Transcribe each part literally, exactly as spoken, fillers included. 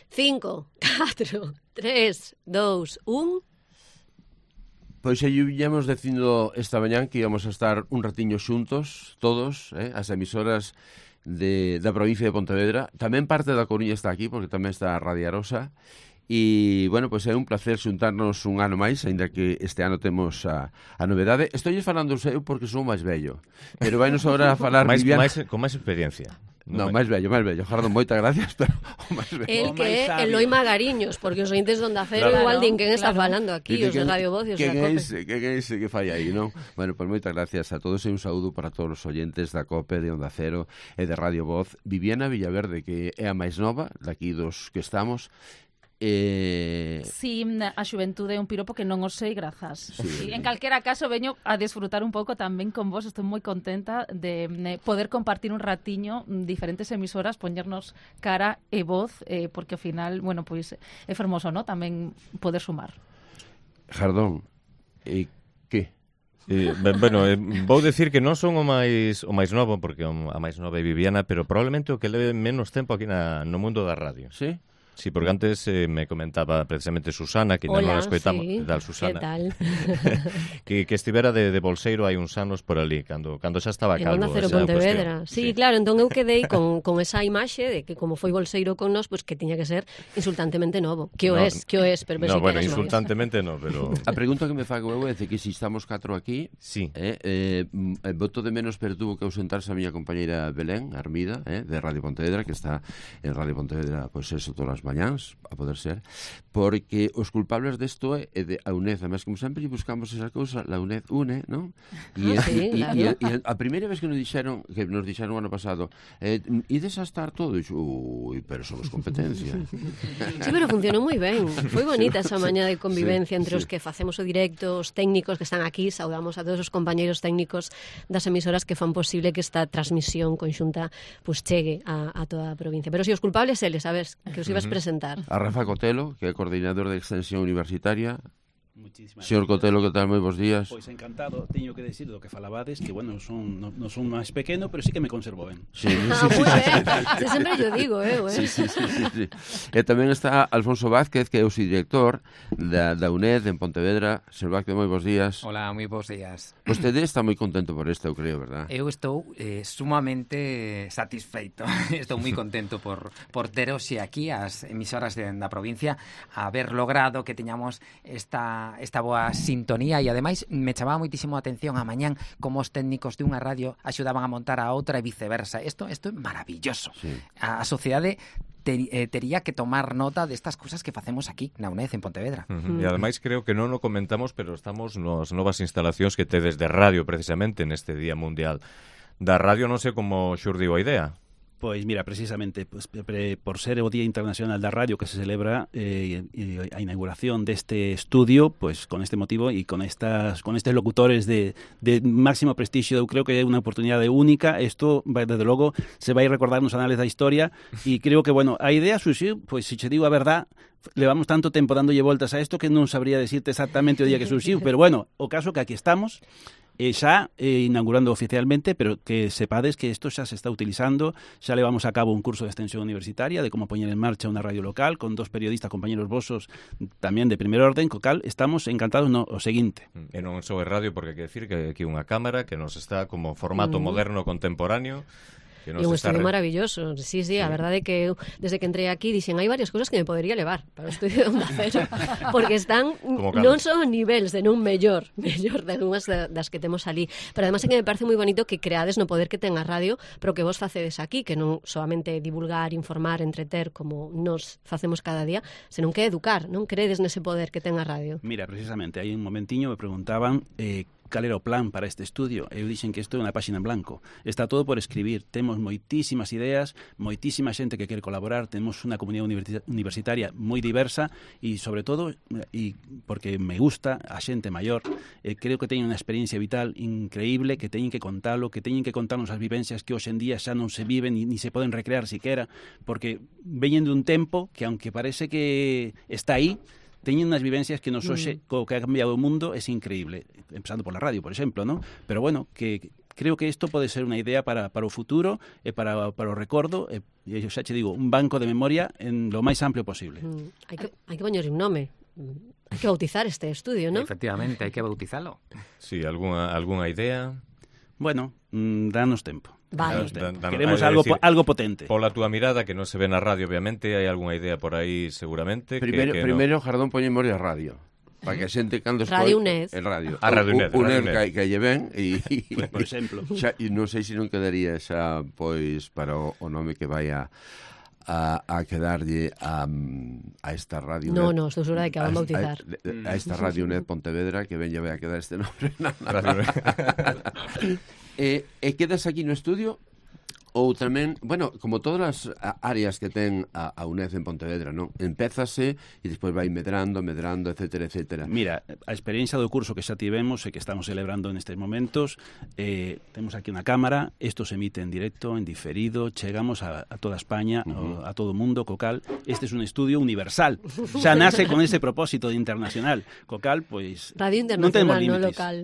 cinco, catro, tres, dous, un... Pois aí viñamos dicindo esta mañán que íbamos a estar un ratiño xuntos, todos, eh, as emisoras de, da provincia de Pontevedra. Tamén parte da Coruña está aquí, porque tamén está Radio Arosa. E, bueno, pois é un placer xuntarnos un ano máis, aínda que este ano temos a, a novedade. Estou falando eu porque sou máis vello, pero vai nos agora a falar máis, Viviana... máis, con máis experiencia. No, máis vello, máis vello. Jardón, moitas gracias, pero o máis vello. El que é Eloi Magariños, porque os ointes de Onda Cero claro, igual din quen está claro. falando aquí, que, os de Radio Voz e os da Quen é Cope. ese, quen é ese que fai aí, non? Bueno, pois moitas gracias a todos e un saúdo para todos os oyentes da Cope, de Onda Cero e de Radio Voz. Viviana Villaverde, que é a máis nova, daqui dos que estamos. Eh... Sí, a xuventude é un piropo que non os sei, grazas. Sí. Sí, en calquera caso, veño a disfrutar un pouco tamén con vos. Estou moi contenta de eh, poder compartir un ratiño diferentes emisoras, poñernos cara e voz, eh, porque ao final, bueno, pois é fermoso, ¿no? Tamén poder sumar. Jardón, e que? Eh, ben, bueno, eh, vou decir que non son o máis o máis novo, porque a máis nova é Viviana, pero probablemente o que leve menos tempo aquí na, no mundo da radio. Sí? Sí, porque antes eh, me comentaba precisamente Susana, que non Hola, nos escoitamos, sí. tal Susana, Que tal? que, que estivera de, de bolseiro hai uns anos por ali, cando, cando xa estaba En calvo. Onda Cero esa Pontevedra. cuestión. Sí, sí, claro, entón eu quedei con, con esa imaxe de que como foi bolseiro con nos, pues que tiña que ser insultantemente novo. Que o No, es, que o es, pero No, sí bueno, que eres insultantemente no, pero... A pregunta que me fago eu é de que se estamos catro aquí, Sí. eh, eh, voto de menos, pero tuvo que ausentarse a miña compañeira Belén Armida, eh, de Radio Pontevedra, que está en Radio Pontevedra, pois pues eso, todas as mañáns, a poder ser, porque os culpables desto é de a UNED, además, como sempre buscamos esa cousa, la UNED une, non? E, Ah, sí, e, claro. e, e a primeira vez que nos dixeron, que nos dixeron o ano pasado, eh, ides a estar todo, e dixo, ui, pero somos competencia. Sí, pero funcionou moi ben. Foi bonita esa mañá de convivencia sí, entre sí. os que facemos o directo, os técnicos que están aquí, saudamos a todos os compañeiros técnicos das emisoras que fan posible que esta transmisión conxunta pues chegue a, a toda a provincia. Pero si os culpables eles, sabes, que os ibas presentar. A Rafa Cotelo, que é coordinador de extensión universitaria. Muchísimas Señor gracias. Cotelo, que tal? Moi bons días. Pois encantado, teño que decir do que falabades, que bueno, son, non no son máis pequeno, pero sí que me conservo ben. Sí, sí, Ah, sí, moi sí, ben. Se sempre yo digo, eu, eh. sí, sí, sí, sí, sí. E tamén está Alfonso Vázquez, que é o subdirector da, da UNED en Pontevedra. Señor Vázquez, moi bons días. Hola, moi bons días. Vostede está moi contento por isto, eu creo, verdad? Eu estou eh, sumamente satisfeito. Estou moi contento por, por ter hoxe aquí as emisoras de, da provincia, haber logrado que teñamos esta, esta boa sintonía e ademais me chamaba moitísimo a atención a mañán como os técnicos de unha radio axudaban a montar a outra e viceversa. Isto, isto é maravilloso. Sí. A, a sociedade ter, eh, tería que tomar nota destas cousas que facemos aquí na UNED en Pontevedra. Uh-huh. E ademais creo que non o comentamos, pero estamos nas novas instalacións que tedes de radio precisamente neste Día Mundial da Radio. Non sei como xurdiu a idea. Pois mira, precisamente pues, pre, por ser o Día Internacional da Radio que se celebra eh, e, e a inauguración deste estudio, pues con este motivo e con estas con estes locutores de, de máximo prestixio, eu creo que é unha oportunidade única. Isto, desde logo, se vai recordar nos anales da historia e creo que, bueno, a idea surxiu, pois se che digo a verdad, levamos tanto tempo dándolle voltas a isto que non sabría decirte exactamente o día que surxiu, pero bueno, o caso que aquí estamos, e xa eh, inaugurando oficialmente, pero que sepades que isto xa se está utilizando, xa levamos a cabo un curso de extensión universitaria de como poñer en marcha unha radio local con dos periodistas, compañeros vosos tamén de primer orden, co cal estamos encantados no o seguinte. E non só é radio, porque hai que decir que aquí unha cámara que nos está como formato Mm. moderno contemporáneo. E un estudio maravilloso. Sí, sí, a verdade é que eu, desde que entrei aquí, dixen, hai varias cousas que me podería levar para o estudio de Onda Cero, porque están non son niveles de nun mellor, mellor de algunhas das que temos ali, pero además é que me parece moi bonito que creades no poder que ten a radio, pero que vos facedes aquí, que non solamente divulgar, informar, entreter, como nos facemos cada día, senón que educar, non credes nese poder que ten a radio. Mira, precisamente, aí un momentiño me preguntaban eh, cal era o plan para este estudio. Eu dixen que isto é unha páxina en blanco. Está todo por escribir. Temos moitísimas ideas, moitísima xente que quere colaborar, temos unha comunidade universitaria moi diversa e, sobre todo, e porque me gusta a xente maior, eh, creo que teñen unha experiencia vital increíble, que teñen que contalo, que teñen que contarnos as vivencias que hoxe en día xa non se viven ni, ni se poden recrear siquera, porque veñen dun tempo que, aunque parece que está aí, teñen unhas vivencias que nos hoxe, mm. co que ha cambiado o mundo, é increíble, empezando por la radio, por exemplo, ¿no? Pero bueno, que creo que isto pode ser unha idea para, para o futuro e para, para o recordo, e, e xa che digo, un banco de memoria en lo máis amplio posible. Mm, hai que, hai que poñer un nome. Hai que bautizar este estudio, ¿no? Efectivamente, hai que bautizalo. Sí, algunha, algunha idea? Bueno, mmm, danos tempo. Vale. Danos tempo. Dan, dan, Queremos algo, decir, algo potente. Pola túa mirada, que non se ve na radio, obviamente, hai algunha idea por aí, seguramente. Primeiro, que, que primeiro no. Jardón poñemos a radio. Para que a xente cando Radio UNED. El radio. A Radio UNED. UNED que, que lle ven e, Pues, por exemplo. xa, e non sei se non quedaría xa pois para o, o nome que vai a a, a quedarlle a, a esta radio No, UNED. no, estou segura de que a van bautizar. A, a esta radio UNED Pontevedra que ven lle vai a quedar este nome. e, e quedas aquí no estudio ou tamén, bueno, como todas as áreas que ten a, a UNED en Pontevedra, non? Empézase e despois vai medrando, medrando, etcétera, etcétera. Mira, a experiencia do curso que xa tivemos e que estamos celebrando nestes momentos, eh, temos aquí unha cámara, isto se emite en directo, en diferido, chegamos a, a toda España, uh-huh. a, a todo o mundo, co cal, este é un estudio universal, xa nace con ese propósito de internacional, co cal, pois, Radio non temos internacional, non límites. local.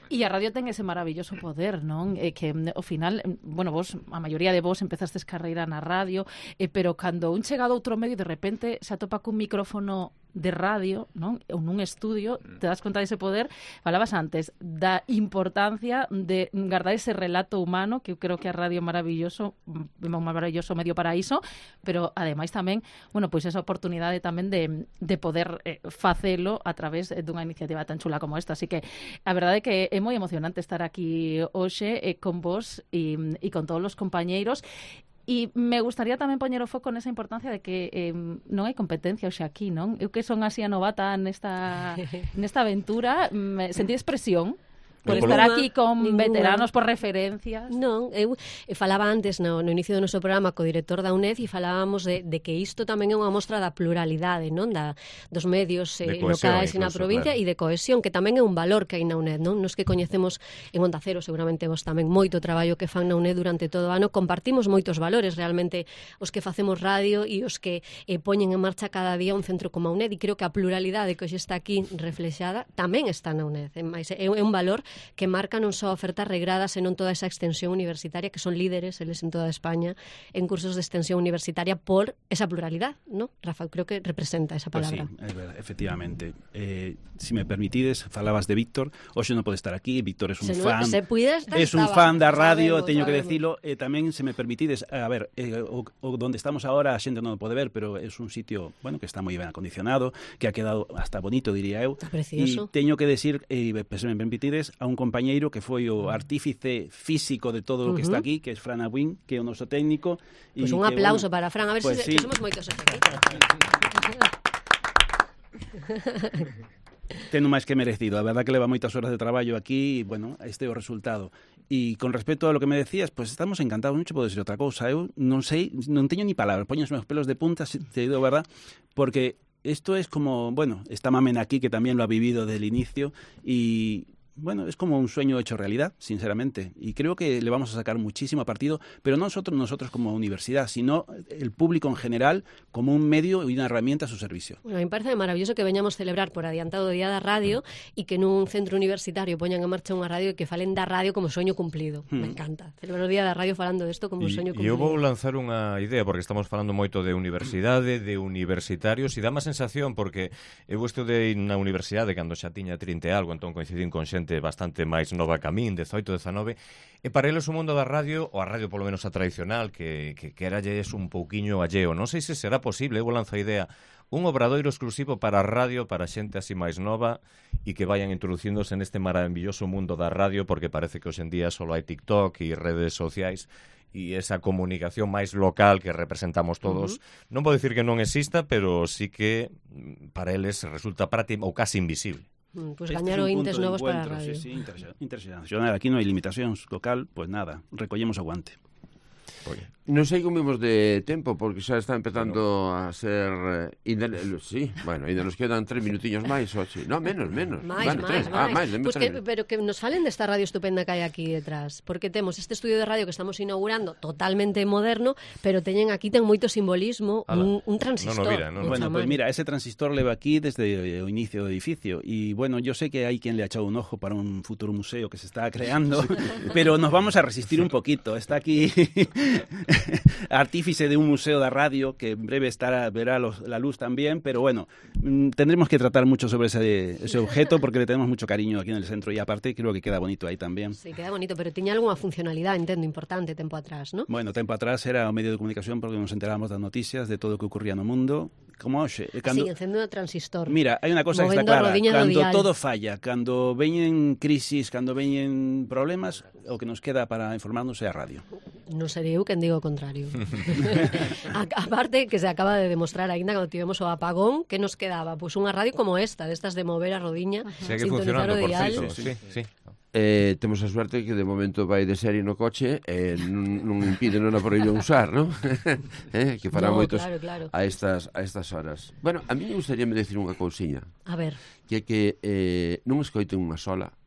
E a radio ten ese maravilloso poder, non? Eh, que ao final, bueno, vos, a maioría de vos empezastes carreira na radio, eh, pero cando un chega a outro medio de repente se atopa cun micrófono de radio, non? Ou nun estudio, te das conta dese poder. Falabas antes da importancia de guardar ese relato humano, que eu creo que a radio é maravilloso, un maravilloso medio para iso, pero ademais tamén, bueno, pois esa oportunidade tamén de, de poder eh, facelo a través dunha iniciativa tan chula como esta. Así que a verdade é que é moi emocionante estar aquí hoxe eh, con vos e, e con todos os compañeiros. E me gustaría tamén poñer o foco nesa importancia de que eh, non hai competencia hoxe aquí, non? Eu que son así a novata nesta, nesta aventura, me sentí expresión por Ninguna, estar aquí con ninguna. veteranos, por referencias. Non, eu, eu falaba antes no, no inicio do noso programa co director da UNED e falábamos de, de que isto tamén é unha mostra da pluralidade, non, da, dos medios eh, locais na provincia claro. E de cohesión, que tamén é un valor que hai na UNED, non? Nos que coñecemos en Onda Cero, seguramente vos tamén moito traballo que fan na UNED durante todo o ano, compartimos moitos valores realmente os que facemos radio e os que eh, poñen en marcha cada día un centro como a UNED, e creo que a pluralidade que hoxe está aquí reflexada tamén está na UNED, é, é un valor que marca non só ofertas regradas, senón toda esa extensión universitaria, que son líderes, eles en toda España, en cursos de extensión universitaria por esa pluralidad, ¿no? Rafa, creo que representa esa palabra. Pues sí, é verdad, efectivamente. Eh, si me permitides, falabas de Víctor, hoxe non pode estar aquí, Víctor é un se fan, no, se puides, es un fan da radio, sabemos, teño que sabemos. decilo, e eh, tamén, se me permitides, a ver, eh, o, o donde estamos agora a xente non o pode ver, pero é un sitio, bueno, que está moi ben acondicionado, que ha quedado hasta bonito, diría eu. Está precioso. E teño que decir, e eh, se me permitides, a un compañeiro que foi o artífice físico de todo o que Uh-huh. está aquí, que é Fran Abuín, que é o noso técnico. Pois pues un que, aplauso bueno, para Fran, a ver pues se, sí. que somos moitos aquí. Teno máis que merecido, a verdad que leva moitas horas de traballo aquí e, bueno, este é o resultado. E con respecto a lo que me decías, pues estamos encantados, non che podo decir outra cousa, eu non sei, non teño ni palabras, poño os meus pelos de punta, te digo, verdad, porque esto es como, bueno, está Mamen aquí, que tamén lo ha vivido desde el inicio, y bueno, es como un sueño hecho realidad, sinceramente, y creo que le vamos a sacar muchísimo partido, pero no nosotros, nosotros como universidad, sino el público en general como un medio y una herramienta a su servicio. Bueno, a mí me parece maravilloso que veñamos celebrar por adiantado o Día da Radio e que nun centro universitario poñan en marcha unha radio e que falen da radio como soño cumplido. Mm. Me encanta. Celebrar o Día da Radio falando desto como un soño cumplido. E eu vou lanzar unha idea, porque estamos falando moito de universidade, de universitarios, e dá má sensación, porque eu estudei na universidade cando xa tiña trinta e algo, entón coincidín con xente bastante máis nova que a min, dezoito, dezanove, e para eles o mundo da radio, ou a radio polo menos a tradicional, que, que, que era lles un pouquiño alleo. Non sei se será posible, eu lanzo a idea, un obradoiro exclusivo para a radio, para xente así máis nova, e que vayan introducíndose neste maravilloso mundo da radio, porque parece que hoxe en día só hai TikTok e redes sociais, e esa comunicación máis local que representamos todos, uh-huh. non vou dicir que non exista, pero sí que para eles resulta práctica ou casi invisible. Mm, pues gañar ointes novos para a radio. Sí, sí, internacional. Aquí non hai limitacións, local, pues nada, recollemos o guante. Oye, Non sei como imos de tempo, porque xa está empezando bueno. a ser... Eh, inda, sí, bueno, ainda nos quedan tres minutiños máis, oxe. No, menos, menos. máis, bueno, máis, tres. Ah, máis. Pues que, pero que nos falen desta radio estupenda que hai aquí detrás, porque temos este estudio de radio que estamos inaugurando, totalmente moderno, pero teñen aquí ten moito simbolismo, un, un transistor. No, no, mira, no, no. Bueno, pues mira, ese transistor leva aquí desde o inicio do edificio, y bueno, yo sé que hai quien le ha echado un ojo para un futuro museo que se está creando, pero nos vamos a resistir un poquito. Está aquí artífice de un museo de radio que en breve estará, verá los, la luz también, pero bueno, mmm, tendremos que tratar mucho sobre ese, ese objeto porque le tenemos mucho cariño aquí en el centro, y aparte creo que queda bonito aí también. Sí, queda bonito, pero tiña algunha funcionalidade, entendo, importante tempo atrás, ¿no? Bueno, tempo atrás era o medio de comunicación porque nos enterábamos das noticias de todo o que ocurría no mundo, como hoxe. Cando... Así, encendo o transistor. Mira, hai unha cosa que está clara, cando todo falla, cando veñen crisis, cando veñen problemas, o que nos queda para informarnos é a radio. Non serei eu quen digo o contrario. a, aparte que se acaba de demostrar aínda cando tivemos o apagón, que nos quedaba? Pois pues unha radio como esta, destas de mover a rodiña, segue funcionando, por cierto, sí, sí. Eh, temos a suerte que de momento vai de serie no coche e eh, non, non impide non a prohibir usar, non? eh, que fará no, moitos claro, claro. a estas a estas horas. Bueno, a mí me gustaría me decir unha cousiña. A ver. Que é que eh, non escoiten unha sola,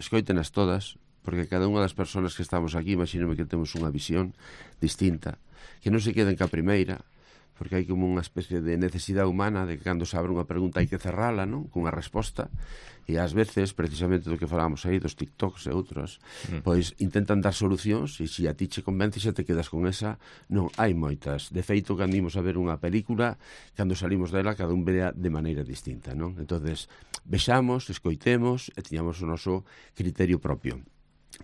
escoitenas todas, porque cada unha das persoas que estamos aquí, imagínome que temos unha visión distinta, que non se queden ca primeira, porque hai como unha especie de necesidade humana de que cando se abre unha pregunta hai que cerrala, non? Cunha resposta, e ás veces, precisamente do que falábamos aí, dos TikToks e outros, mm. pois intentan dar solucións, e se a ti che convence xa te quedas con esa. Non, hai moitas. De feito, cando imos a ver unha película, cando salimos dela, cada un vea de maneira distinta, non? Entonces, vexamos, escoitemos e tiñamos o noso criterio propio.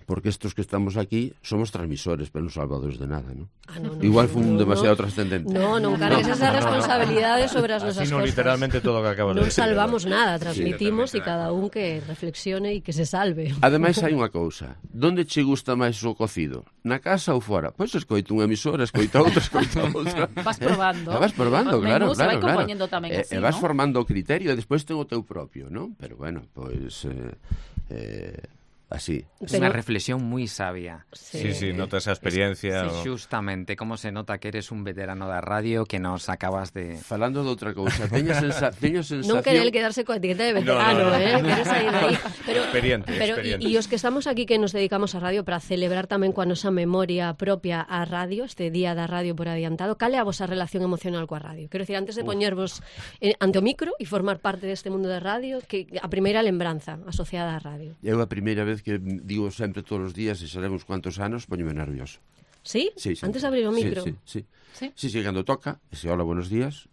Porque estos que estamos aquí somos transmisores, pero non salvadores de nada, ¿no? Ah, no, no, igual fue un no, demasiado no. trascendente. No, non cargues esa responsabilidade sobre as nosas cosas. Así no literalmente todo o que acabas non de decir. Non salvamos nada, transmitimos sí, e cada un que reflexione e que se salve. Ademais hai unha cousa, donde che gusta máis o cocido? Na casa ou fora? Pois escoito unha emisora, escoito outra, escoito outra. Vas probando. Eh? Vas probando, claro, menús, claro, vai claro. compoñendo tamén E, así, e vas ¿no? formando o criterio e despois ten o teu propio, non? Pero bueno, pois... Eh, eh, así. Es Pero... una reflexión muy sabia. Sí, sí, sí, nota esa experiencia. Es, sí, o... Justamente, como se nota que eres un veterano da radio que nos acabas de... Falando de outra cousa, teño, sensa... teño sensación... Non querer quedarse coa etiqueta de veterano, no, no, no. eh? Queres sair de aí. Pero, experiente, pero, experiente. E os que estamos aquí que nos dedicamos a radio para celebrar tamén coa nosa memoria propia a radio, este día da radio por adiantado, cal é a vosa relación emocional coa radio? Quero dicir, antes de poñervos eh, ante o micro e formar parte deste mundo da radio, que a primeira lembranza asociada á radio. Eu a primeira vez que digo sempre todos os días, e sabemos cuántos anos, poñome nervioso. ¿Sí? Sí, antes de abrir o micro? Sí, sí, sí. Sí, sí, sí, cando toca, e se hola, buenos días,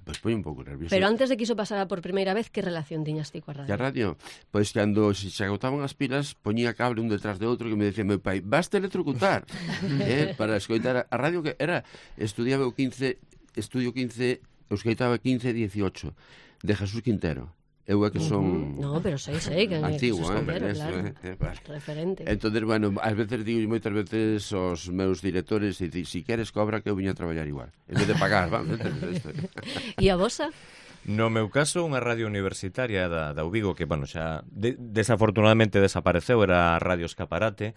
pois pues poño un pouco nervioso. Pero antes de que iso pasara por primeira vez, que relación tiñas ti coa radio? A radio? Pois cando se, se agotaban as pilas, poñía cable un detrás de outro que me decía meu pai, vas te electrocutar eh, para escoitar a radio, que era, estudiaba o quince, estudio quince, eu escoitaba quince dieciocho de Jesús Quintero. Eu é que son... Uh-huh. No, pero sei, sei que antigo, que eh, Quintero, eso, claro. eh, vale. Referente. Entonces, bueno, ás veces digo moitas veces aos meus directores, e si, si queres cobra que eu viña a traballar igual, en vez de pagar, vamos. E a vosa? No meu caso, unha radio universitaria da, da Ubigo, que, bueno, xa de, desafortunadamente desapareceu, era a Radio Escaparate,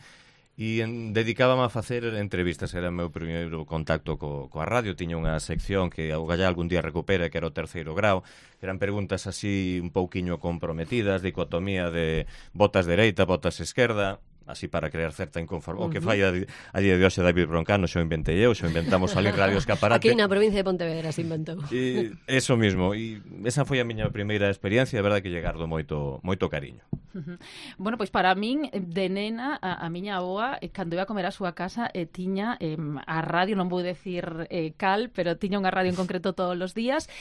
e en, dedicábame a facer entrevistas. Era o meu primeiro contacto co, coa radio. Tiña unha sección que o gallá algún día recupera, que era o terceiro grau. Eran preguntas así un pouquiño comprometidas, dicotomía de botas dereita, botas esquerda, así para crear certa inconformidade. Uh-huh. O que fai a, a día de hoxe David Broncano, xo inventei eu, xo inventamos ali en Radio Escaparate. Aquí na provincia de Pontevedra se inventou. E eso mismo, e esa foi a miña primeira experiencia, a verdade que lle gardo moito, moito cariño. Uh-huh. Bueno, pois para min, de nena, a, a miña avoa, eh, cando iba a comer a súa casa, eh, tiña eh, a radio, non vou decir eh, cal, pero tiña unha radio en concreto todos os días,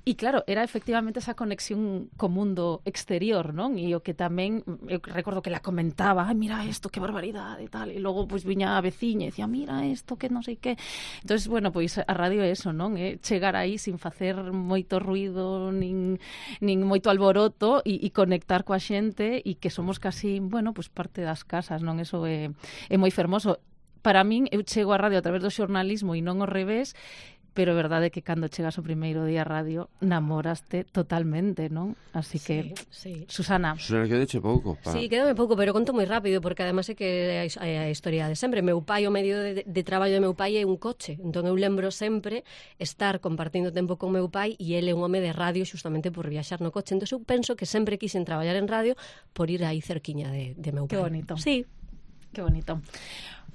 e claro, era efectivamente esa conexión co mundo exterior, non? E o que tamén, eu recordo que la comentaba, ai, mira isto, que barbaridade e tal, e logo pois viña a veciña e dicía, mira isto, que non sei que. Entonces, bueno, pois a radio é eso, non? É chegar aí sin facer moito ruido, nin, nin moito alboroto, e, e conectar coa xente, e que somos casi, bueno, pois parte das casas, non? Eso é, é moi fermoso. Para min, eu chego á radio a través do xornalismo e non ao revés, pero é verdade que cando chegas o primeiro día a radio namoraste totalmente, non? Así que, sí, sí. Susana. Susana, quedeche pouco. Pa... Sí, quedame pouco, pero conto moi rápido, porque además é que é a historia de sempre. Meu pai, o medio de, de traballo de meu pai é un coche, entón eu lembro sempre estar compartindo tempo con meu pai e ele é un home de radio justamente por viaxar no coche. Entón eu penso que sempre quixen traballar en radio por ir aí cerquiña de, de meu pai. Que bonito. Sí. Que bonito.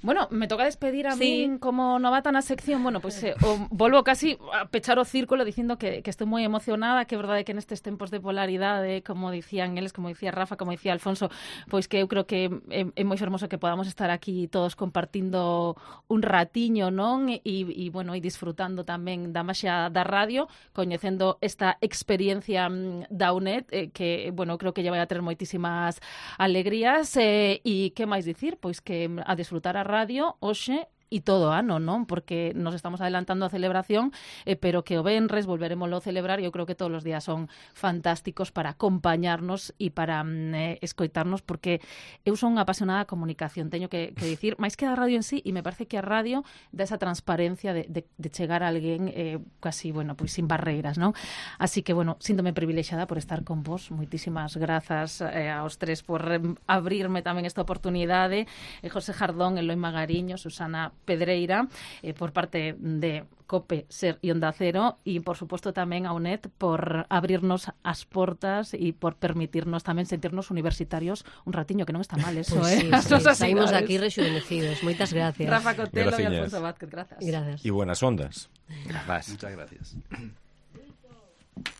Bueno, me toca despedir a sí. mí como novata na sección. Bueno, pues eh, o, volvo casi a pechar o círculo dicindo que, que estou moi emocionada, que é verdade que nestes tempos de polaridade, como dicían eles, como dicía Rafa, como dicía Alfonso, pois que eu creo que é, é moi fermoso que podamos estar aquí todos compartindo un ratiño, non? E, e bueno, e disfrutando tamén da maxia da radio, coñecendo esta experiencia da U N E D, eh, que, bueno, creo que lle vai a ter moitísimas alegrías, eh, e que máis dicir? Pois que a disfrutar a radio hoxe e todo ano, non? Porque nos estamos adelantando a celebración, eh, pero que o venres volveremoslo a celebrar e eu creo que todos os días son fantásticos para acompañarnos e para mm, eh, escoitarnos, porque eu son unha apasionada da comunicación, teño que, que dicir, máis que a radio en sí, e me parece que a radio dá esa transparencia de, de, de chegar a alguén eh, casi, bueno, pois sin barreiras, non? Así que, bueno, síntome privilexiada por estar con vos, moitísimas grazas eh, aos tres por eh, abrirme tamén esta oportunidade, eh, José Jardón, Eloi Magariño, Susana Pedreira, eh, por parte de COPE, SER e Onda Cero, e por suposto tamén a U N E D por abrirnos as portas e por permitirnos tamén sentirnos universitarios un ratiño, que non está mal eso, pues eh? Sí, sí, saímos aquí rexuvenecidos. Moitas gracias. Rafa Cotelo e Graciñas. Alfonso Vázquez, grazas. Gracias. Y buenas ondas. Gracias. Muchas gracias.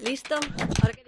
¿Listo? Ahora que...